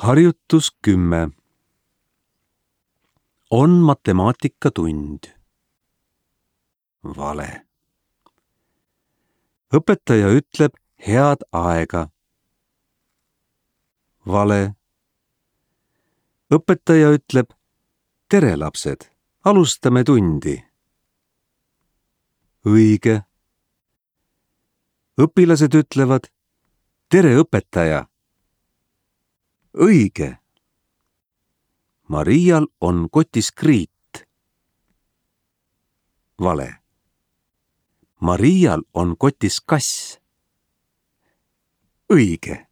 Harjutus 10. On matemaatikatund. Vale. Õpetaja ütleb head aega. Vale. Õpetaja ütleb tere lapsed, alustame tundi. Õige. Õpilased ütlevad tere õpetaja. Õige. Marial on kotis kriit. Vale. Marial on kotis kass. Õige.